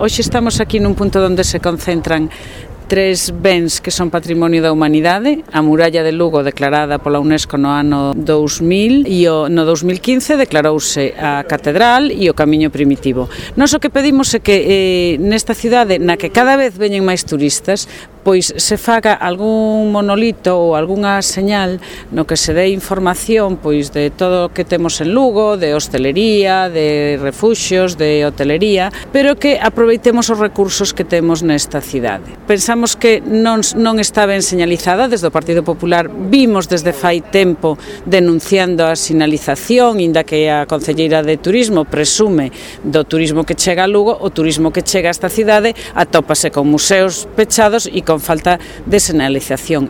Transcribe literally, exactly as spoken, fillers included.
Hoxe estamos aquí nun punto onde se concentran tres bens que son patrimonio da humanidade: a muralla de Lugo, declarada pola UNESCO no ano dous mil, e o, no dous mil quince declarouse a catedral e o camiño primitivo. Nós o que pedimos é que eh, nesta cidade, na que cada vez veñen máis turistas, pois se faga algún monolito ou algunha señal no que se dé información pois de todo o que temos en Lugo, de hostelería, de refuxios, de hotelería, pero que aproveitemos os recursos que temos nesta cidade. Pensamos que non, non está ben señalizada. Desde o Partido Popular vimos desde fai tempo denunciando a sinalización, inda que a concelleira de Turismo presume do turismo que chega a Lugo. O turismo que chega a esta cidade atópase con museos pechados e con falta de sinalización.